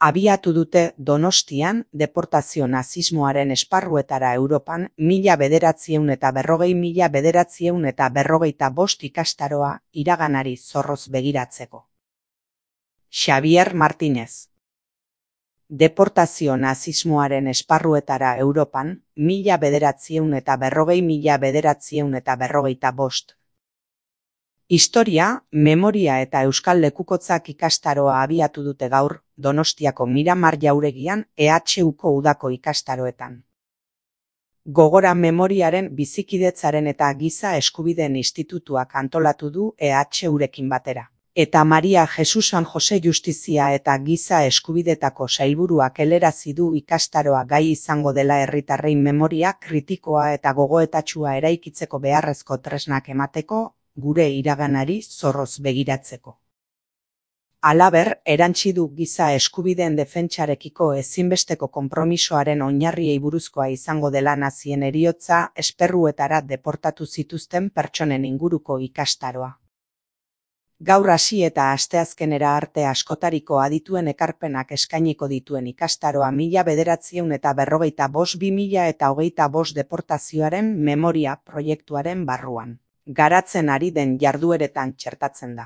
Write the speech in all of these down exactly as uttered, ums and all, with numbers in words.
abiatu dute Donostian deportazio nazismoaren esparruetara Europan mila bederatziehun eta berrogei mila bederatziehun eta berrogeita bost ikastaroa iraganari zorroz begiratzeko. Xavier Martínez. Deportazio nazismoaren esparruetara Europan mila bederatziehun eta berrogei mila bederatziehun eta berrogeita bost. Historia, memoria eta euskal lekukotzak ikastaroa abiatu dute gaur Donostiako Miramar jauregian E H Uko udako ikastaroetan. Gogora memoriaren bizikidetzaren eta giza eskubideen institutuak antolatu du E H Urekin batera. Eta Maria Jesus San Jose Justizia eta giza eskubidetako sailburuak helarazi du ikastaroa gai izango dela herritarrei memoria kritikoa eta gogoetatsua eraikitzeko beharrezko tresnak emateko, gure iraganari zorroz begiratzeko. Halaber, erantsi du giza eskubideen defentsarekiko ezinbesteko konpromisoaren oinarriei buruzkoa izango dela nazien heriotza esperruetara deportatu zituzten pertsonen inguruko ikastaroa. Gaur hasi eta asteazkenera arte askotariko adituen ekarpenak eskainiko dituen ikastaroa mila bederatziehun eta berrogeita bost bi mila eta hogeita bost deportazioaren memoria proiektuaren barruan garatzen ari den jardueretan txertatzen da.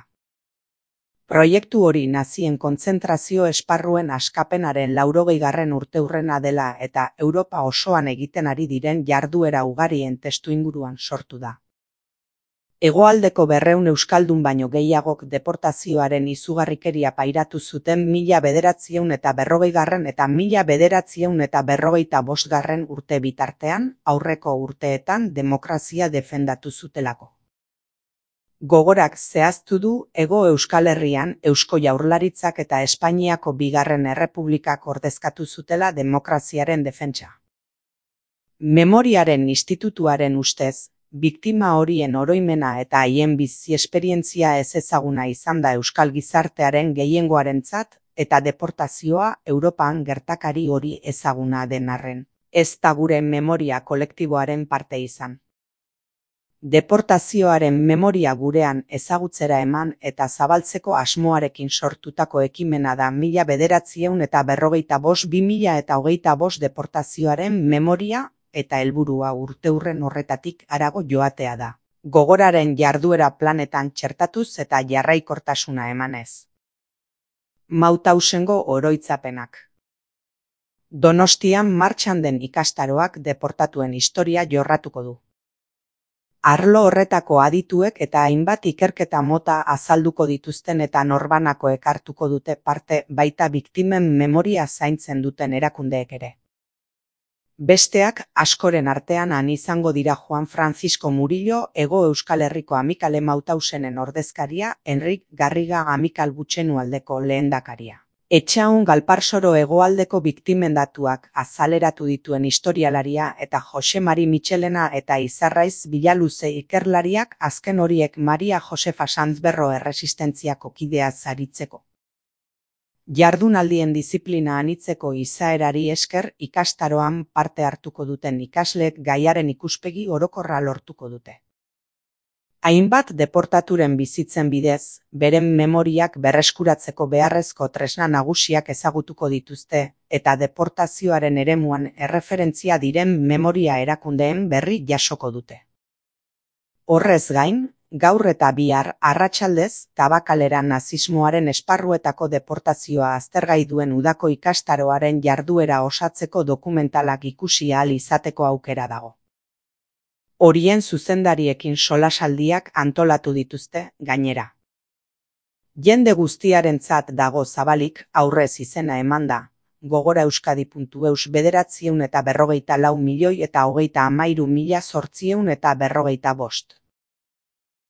Proiektu hori nazien kontzentrazio esparruen askapenaren laurogeigarren urteurrena dela eta Europa osoan egiten ari diren jarduera ugarien testuinguruan sortu da. Hegoaldeko berrehun euskaldun baino gehiagok deportazioaren izugarrikeria pairatu zuten mila bederatziehun eta berrogeigarren eta mila bederatziehun eta berrogeita bostgarren urte bitartean, aurreko urteetan demokrazia defendatu zutelako. Gogorak zehaztu du Hego Euskal Herrian Eusko Jaurlaritzak eta Espainiako Bigarren Errepublikak ordezkatu zutela demokraziaren defentsa. Memoriaren institutuaren ustez, biktima horien oroimena eta haien bizi esperientzia ez ezaguna izan da euskal gizartearen gehiengoarentzat eta deportazioa Europan gertakari hori ezaguna den arren, ez da gure memoria kolektiboaren parte izan. Deportazioaren memoria gurean ezagutzera eman eta zabaltzeko asmoarekin sortutako ekimena da mila bederatziehun eta berrogeita bost bi mila eta hogeita bost deportazioaren memoria eta helburua urteurren horretatik harago joatea da. Gogoraren jarduera planetan txertatuz eta jarraikortasuna emanez. Mautausengo oroitzapenak. Donostian martxan den ikastaroak deportatuen historia jorratuko du. Arlo horretako adituek eta hainbat ikerketa mota azalduko dituzten eta norbanakoek hartuko dute parte baita biktimen memoria zaintzen duten erakundeek ere. Besteak askoren artean han izango dira Juan Francisco Murillo Hego Euskal Herriko Amikale Mautausenen ordezkaria, Enrik Garriga Amikal Gutxenualdeko lehendakaria. Etxaun Galparsoro hegoaldeko biktimen datuak azaleratu dituen historialaria eta Jose Mari Michelena eta Izarraiz Bilaluze ikerlariak azken horiek Maria Josefa Sanzberro erresistentziako kidea zaritzeko. Jardunaldien diziplina anitzeko izaerari esker ikastaroan parte hartuko duten ikasleek gaiaren ikuspegi orokorra lortuko dute. Hainbat deportaturen bizitzen bidez, beren memoriak berreskuratzeko beharrezko tresna nagusiak ezagutuko dituzte eta deportazioaren eremuan erreferentzia diren memoria erakundeen berri jasoko dute. Horrez gain, gaur eta bihar arratsaldez Tabakalera nazismoaren esparruetako deportazioa aztergai duen udako ikastaroaren jarduera osatzeko dokumentalak ikusi ahal izateko aukera dago. Horien zuzendariekin solasaldiak antolatu dituzte gainera. Jende guztiarentzat dago zabalik aurrez izena emanda, gogoraeuskadi puntu eus bederatziehun eta berrogeita lau milioi eta hogeita hamairu mila zortziehun eta berrogeita bost.